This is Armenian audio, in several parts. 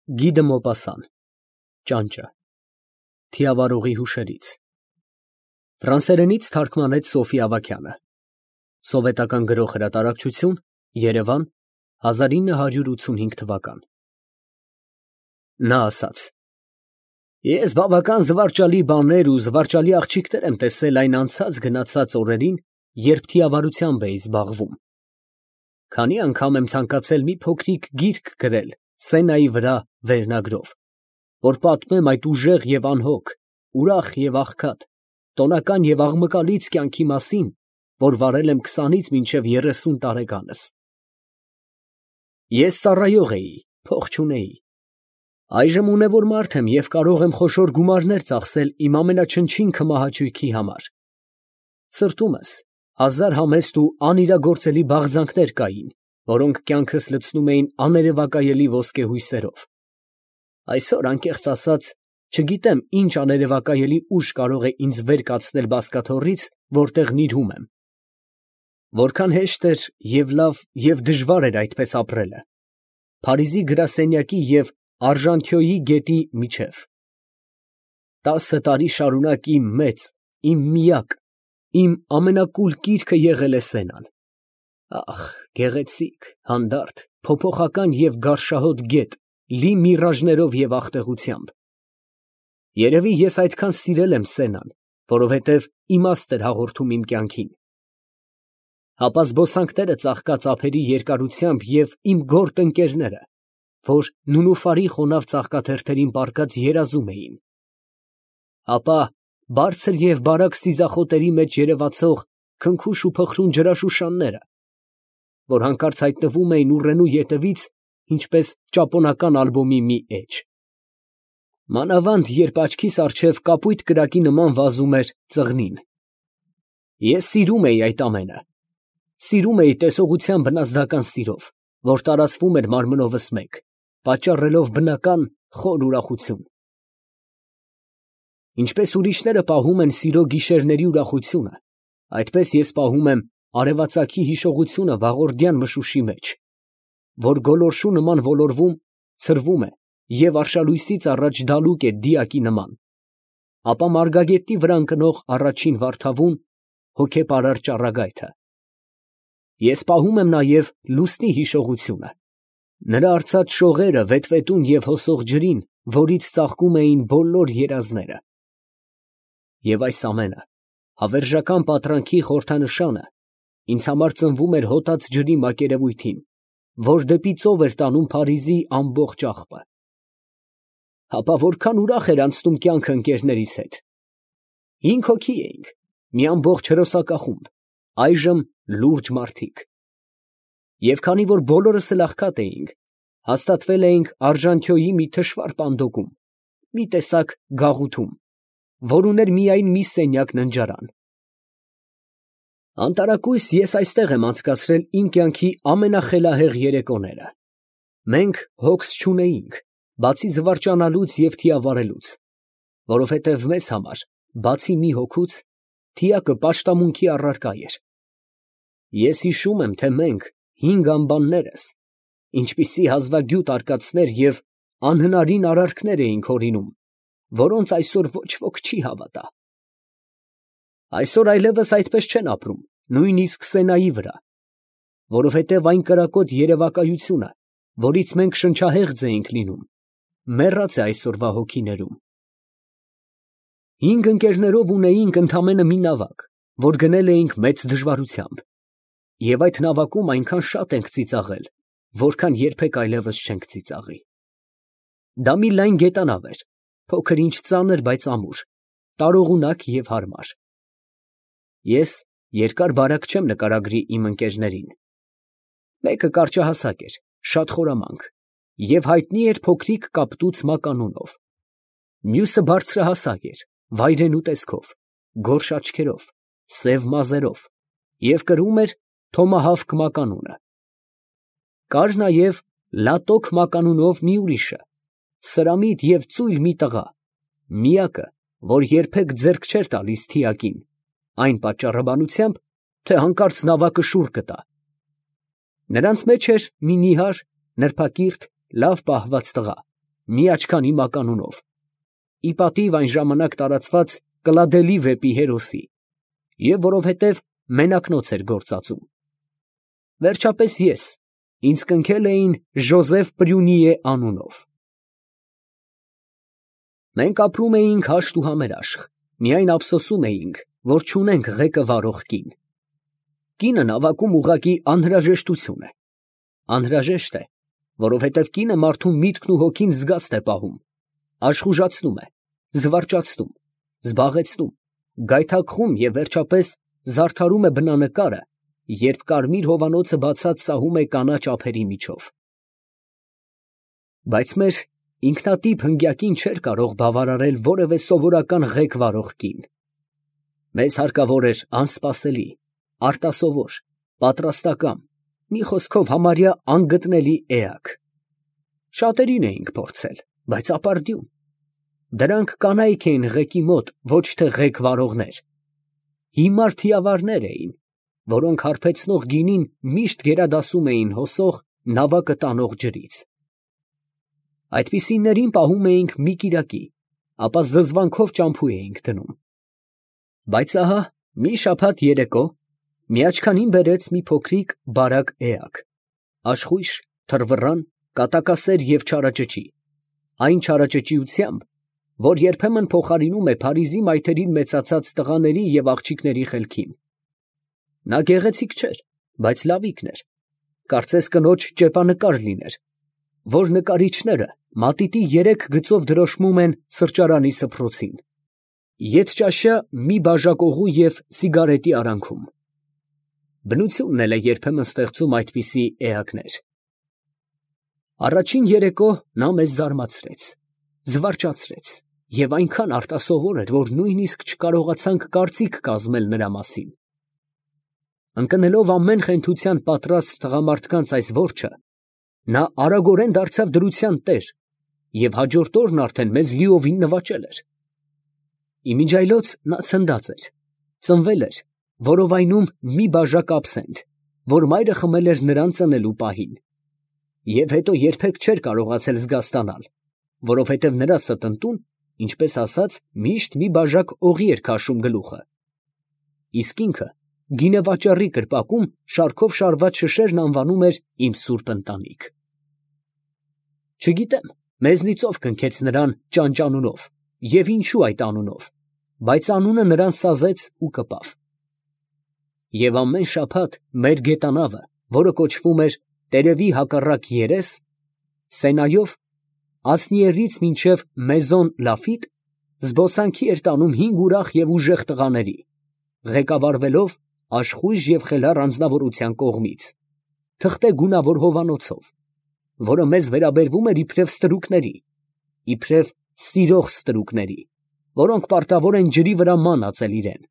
Գիդը Մոպասան Ճանճը Թիավարողի հուշերից Ֆրանսերենից թարգմանեց Սոֆի Ավագյանը Սովետական գրող հրատարակչություն Երևան 1985 թվական Նա ասաց. Ես բավական զվարճալի բաներ ու զվարճալի աղջիկներ եմ տեսել այն անցած գնացած օրերին, երբ թիավարությամբ էի զբաղվում։ Քանի անգամ եմ ցանկացել մի փոքրիկ գիրք գրել Սենայի վրա վերնագրով, որ պատմեմ այդ ուժեղ և անհոգ, ուրախ և աղքատ, տոնական և աղմկալից կյանքի մասին, որ վարել եմ 20-ից մինչև 30 տարեկանս։ Ես ծառայող էի, փող չունեի։ Այժմ ունևոր մարդ եմ և կարող եմ խոշոր գումարներ ծախսել իմ ամենաչնչին քմահաճույքի համար։ Սրտումս հազար համեստ ու անիրագործելի բաղձանքներ կային, որոնք կյանքս լցնում էին աներևակայելի ոսկեհույսերով։ Այսօր, անկեղծ ասած, չգիտեմ ինչ աներևակայելի ուժ կարող է ինձ վեր կացնել բազկաթոռից, որտեղ նիրհում եմ։ Որքան հեշտ էր և լավ և դժվար էր այդպես ապրելը, Փարիզի գրասենյակի և Արժանթյոյի գետի միջև։ 10 տարի շարունակ իմ մեծ, իմ միակ, իմ ամենակուլ կիրքը եղել է Սենան։ Ահ, գեղեցիկ, հանդարտ, փոփոխական և գարշահոտ գետ, լի միրաժներով և աղտեղությամբ։ Երևի ես այդքան սիրել եմ Սենան, որովհետև իմաստ էր հաղորդում իմ կյանքին։ Հապա զբոսանքները ծաղկած ափերի երկարությամբ և իմ գորտ ընկերները, որ նունուֆարի խոնավ ծաղկաթերթերին պառկած երազում էին։ Հապա բարձր և բարակ սիզախոտերի մեջ երևացող քնքուշ ու փխրուն ջրաշուշանները, որ հանկարծ հայտնվում էին ուռենու ետևից, ինչպես ճապոնական ալբոմի մի էջ։ Մանավանդ երբ աչքիս առջև կապույտ կրակի նման վազում էր ծղնին։ Ես սիրում էի այդ ամենը։ Սիրում էի տեսողության բնազդական սիրով, որ տարածվում էր մարմնովս մեկ, պատճառելով բնական խոր ուրախություն։ Ինչպես ուրիշները պահում են սիրո գիշերների ուրախությունը, այդպես ես պահում եմ արևածագի հիշողությունը վաղորդյան մշուշի մեջ, որ գոլորշու նման ոլորվում, ցրվում է և արշալույսից առաջ դալուկ է դիակի նման, ապա մարգագետի վրա ընկնող առաջին վարդավուն, հոգեպարար ճառագայթը։ Ես պահում եմ նաև լուսնի հիշողությունը, նրա արծած շողերը վետվետուն և հոսող ջրին, որից ծաղկում էին բոլոր երազները։ Եվ այս ամենը, հավերժական պատրանքի խորհրդանշանը, ինձ համար ծնվում էր հոտած ջրի մակերևույթին, որ դեպի ծով էր տանում Փարիզի ամբողջ աղբը։ Հապա որքան ուրախ էր անցնում կյանքը ընկերներիս հետ։ 5 հոգի էինք, մի ամբողջ հրոսակախումբ, այժմ լուրջ մարդիկ։ Եվ քանի որ բոլորս էլ աղքատ էինք, հաստատվել էինք Արժանթյոյի մի թշվառ պանդոկում, մի տեսակ գաղութում, որ ուներ միայն մի սենյակ ննջարան։ Անտարակույս ես այստեղ եմ անցկացրել իմ կյանքի ամենախելահեղ երեկոները։ Մենք հոգս չունեինք, բացի զվարճանալուց և թիավարելուց, որովհետև մեզ համար, բացի մի հոգուց, թիակը պաշտամունքի առարկա էր։ Ես հիշում եմ, թե մենք 5 անբաններս, ինչպիսի հազվագյուտ արկածներ և անհնարին արարքներ էինք հորինում, որոնց այսօր ոչ ոք չի հավատա։ Այսօր այլևս այդպես չեն ապրում, նույնիսկ Սենայի վրա, որովհետև այն կրակոտ երևակայությունը, որից մենք շնչահեղձ էինք լինում, մեռած է այսօրվա հոգիներում։ 5 ընկերներով ունեինք ընդամենը մի նավակ, որ գնել էինք մեծ դժվարությամբ, և այդ նավակում այնքան շատ ենք ծիծաղել, որքան երբեք այլևս չենք ծիծաղի։ Դա մի լայն գետանավ էր, փոքր ինչ ծանր, բայց ամուր, տարողունակ և հարմար։ Ես երկար բարակ չեմ նկարագրի իմ ընկերներին։ Մեկը կարճահասակ էր, շատ խորամանկ և հայտնի էր փոքրիկ կապտուց մականունով։ Մյուսը բարձրահասակ էր, վայրենու տեսքով, գորշ աչքերով, սև մազերով և կրում էր Թոմահավք մականունը։ Կար նաև Լատոկ մականունով մի ուրիշը, սրամիտ և ծույլ մի տղա, միակը, որ երբեք ձեռք չէր տալիս թիակին, այն պատճառաբանությամբ, թե հանկարծ նավակը շուռ կտա։ Նրանց մեջ էր մի նիհար, նրբակիրթ, լավ պահված տղա, մի աչքանի մականունով, ի պատիվ այն ժամանակ տարածված Կլադելի վեպի հերոսի, և որովհետև մենակնոց էր գործածում։ Վերջապես ես, ինձ կնքել էին Ժոզեֆ Պրյունիե անունով։ Մենք ապրում էինք հաշտ ու համերաշխ, միայն ափսոսում էինք, որ չունենք ղեկը վարող կին։ Կինը նավակում ուղղակի անհրաժեշտություն է։ Անհրաժեշտ է, որովհետև կինը մարդու միտքն ու հոգին զգաստ է պահում, աշխուժացնում է, զվարճացնում, զբաղեցնում, գայթակղում և վերջապես զարդարում է բնանկարը, երբ կարմիր հովանոցը բացած սահում է կանաչ ափերի միջով։ Բայց մեր ինքնատիպ հնգյակին չէր կարող բավարարել որևէ սովորական ղեկ վարող կին։ Մեզ հարկավոր էր անսպասելի, արտասովոր, պատրաստակամ, մի խոսքով համարյա անգտնելի էակ։ Շատերին էինք փորձել, բայց ապարդյուն։ Դրանք կանայք էին ղեկի մոտ, ոչ թե ղեկ վարողներ։ Հիմար թիավարներ էին, որոնք հարբեցնող գինին միշտ գերադասում էին հոսող նավակը տանող ջրից։ Այդպիսիներին պահում էինք մի կիրակի, ապա զզվանքով ճամփու էինք դնում։ Բայց ահա մի շաբաթ երեկո մի աչքանին բերեց մի փոքրիկ բարակ էակ, աշխույժ, թռվռան, կատակասեր և չարաճճի, այն չարաճճիությամբ, որ երբեմն փոխարինում է Փարիզի մայթերին մեծացած տղաների և աղջիկների խելքին։ Նա գեղեցիկ չէր, բայց լավիկն էր, կարծես կնոջ ճեպանկար լիներ, որ նկարիչները մատիտի 3 գծով դրոշմում են սրճարանի սփռոցին, ետճաշյա մի բաժակողու և սիգարետի արանքում։ Բնությունն էլ է երբեմն ստեղծում այդպիսի էակներ։ Առաջին երեկո նա մեզ զարմացրեց, զվարճացրեց և այնքան արտասովոր էր, որ նույնիսկ չկարողացանք կարծիք կազմել նրա մասին։ Ընկնելով ամեն խենթության պատրաստ տղամարդկանց այս որջը, նա արագորեն դարձավ դրության տեր և հաջորդ օրն արդեն մեզ լիովին նվաճել էր։ Իմիջիայլոց նա ցնդած էր, ծնվել էր որովայնում մի բաժակ աբսենթ, որ մայրը խմել էր նրան ծնելու պահին, և հետո երբեք չէր կարողացել զգաստանալ, որովհետև նրա ստընտուն, ինչպես ասած, միշտ մի բաժակ օղի էր քաշում գլուխը, իսկ ինքը գինեվաճառի կրպակում շարքով շարված շշերն անվանում էր «Իմ սուրբ ընտանիք»։ Չգիտեմ, մեզնից ով կնքեց նրան ճանճանունով և ինչու այդ անունով, բայց անունը նրան սազեց ու կպավ։ Եվ ամեն շաբաթ մեր գետանավը, որը կոչվում էր «Տերևի հակառակ երես», Սենայով Ասնիերից մինչև Մեզոն Լաֆիտ, զբոսանքի էր տանում 5 ուրախ և ուժեղ տղաների, ղեկավարվելով աշխույժ և խելառ անձնավորության կողմից, թղթե գունավոր հովանոցով, որը մեզ վերաբերվում էր իբրև ստրուկների, իբրև սիրող ստրուկների, որոնք պարտավոր են ջրի վրա ման ածել իրեն։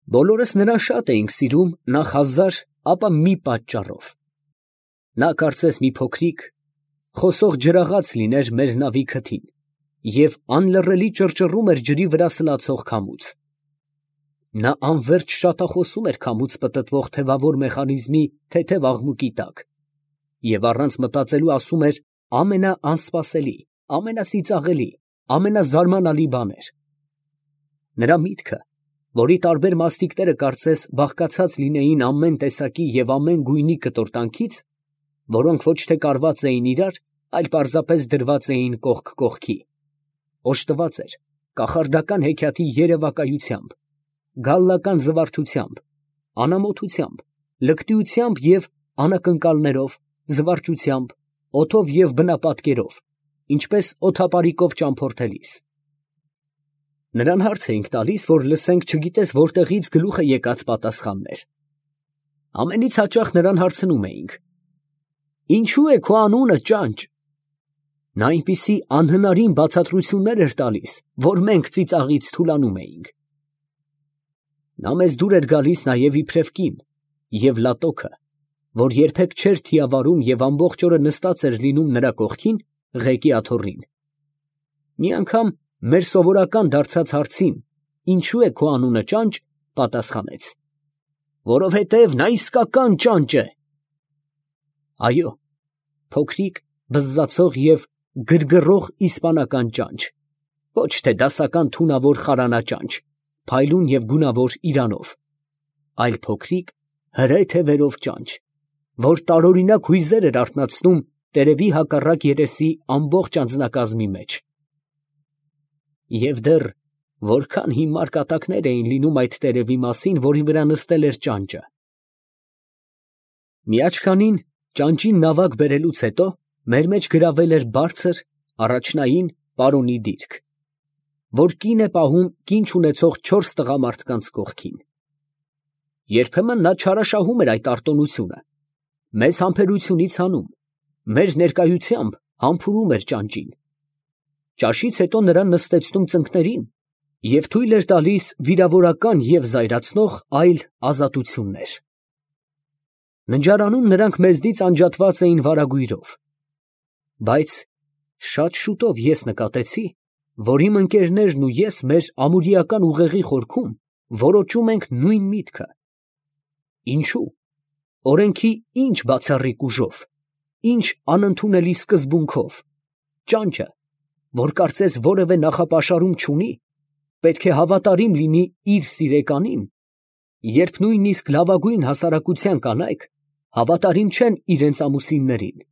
Բոլորս նրան շատ էինք սիրում նախ հազար, ապա մի պատճառով։ Նա կարծես մի փոքրիկ, խոսող ջրաղաց լիներ մեր նավի քթին և անլռելի ճռճռում էր ջրի վրա սլացող քամուց։ Նա անվերջ շատախոսում էր քամուց պտտվող թևավոր մեխանիզմի թեթև աղմուկի տակ և առանց մտածելու ասում էր ամենաանսպասելի, ամենածիծաղելի, ամենազարմանալի բաներ։ Նրա միտքը, որի տարբեր մասնիկները կարծես բաղկացած լինեին ամեն տեսակի և ամեն գույնի կտորտանքից, որոնք ոչ թե կարված էին իրար, այլ պարզապես դրված էին կողք կողքի, օժտված էր կախարդական հեքիաթի երևակայությամբ, գալլական զվարթությամբ, անամոթությամբ, լկտիությամբ և անակնկալներով, զվարճությամբ, օդով և բնապատկերով, ինչպես օդապարիկով ճամփորդելիս։ Նրան հարց էինք տալիս, որ լսենք չգիտես որտեղից գլուխ է եկած պատասխաններ։ Ամենից հաճախ նրան հարցնում էինք. «Ինչու է քո անունը Ճանճ»։ Նա այնպիսի անհնարին բացատրություններ էր տալիս, որ մենք ծիծաղից թուլանում էինք։ Նա մեզ դուր էր գալիս նաև իբրև կին, և լատոքը, որ երբեք չէր թիավարում և ամբողջ օրը նստած էր լինում նրա կողքին, ղեկի աթոռին։ Մի անգամ մեր սովորական դարձած հարցին «Ինչու է քո անունը Ճանճ» պատասխանեց. «Որովհետև նա իսկական ճանճ է»։ Այո, փոքրիկ, բզզացող և գրգռող իսպանական ճանճ, ոչ թե դասական թունավոր խարանաճանճ, փայլուն և գունավոր իրանով, այլ փոքրիկ հրե թևերով ճանճ, որ տարօրինակ հույզեր էր արթնացնում տերևի հակառակ երեսի ամբողջ անձնակազմի մեջ։ Եվ դեռ որքան հիմար կատակներ էին լինում այդ տերևի մասին, որի վրա նստել էր ճանճը։ Մի աչքանին ճանճին նավակ բերելուց հետո մեր մեջ գրավել էր բարձր, առաջնային պարոնի դիրք, որ կին է պահում կին չունեցող 4 տղամարդկանց կողքին։ Երբեմն նա չարաշահում էր այդ արտոնությունը, մեզ համբերությունից հանում, մեր ներկայությամբ համբուրում էր ճանճին։ Ճաշից հետո նրան նստեցնում ծնկներին և թույլ էր տալիս վիրավորական և զայրացնող այլ ազատություններ։ Ննջարանում նրանք մեզնից անջատված էին վարագույրով, բայց շատ շուտով ես նկատեցի, որ իմ ընկերներն ու ես մեր ամուրիական ուղեղի խորքում որոճում ենք նույն միտքը. ինչո՞ւ, օրենքի ինչ բացառիկ ուժով, ինչ անընդունելի սկզբունքով, ճանճը, որ կարծես որևէ նախապաշարում չունի, պետք է հավատարիմ լինի իր սիրեկանին, երբ նույնիսկ լավագույն հասարակության կանայք հավատարիմ չեն իրենց ամուսիններին։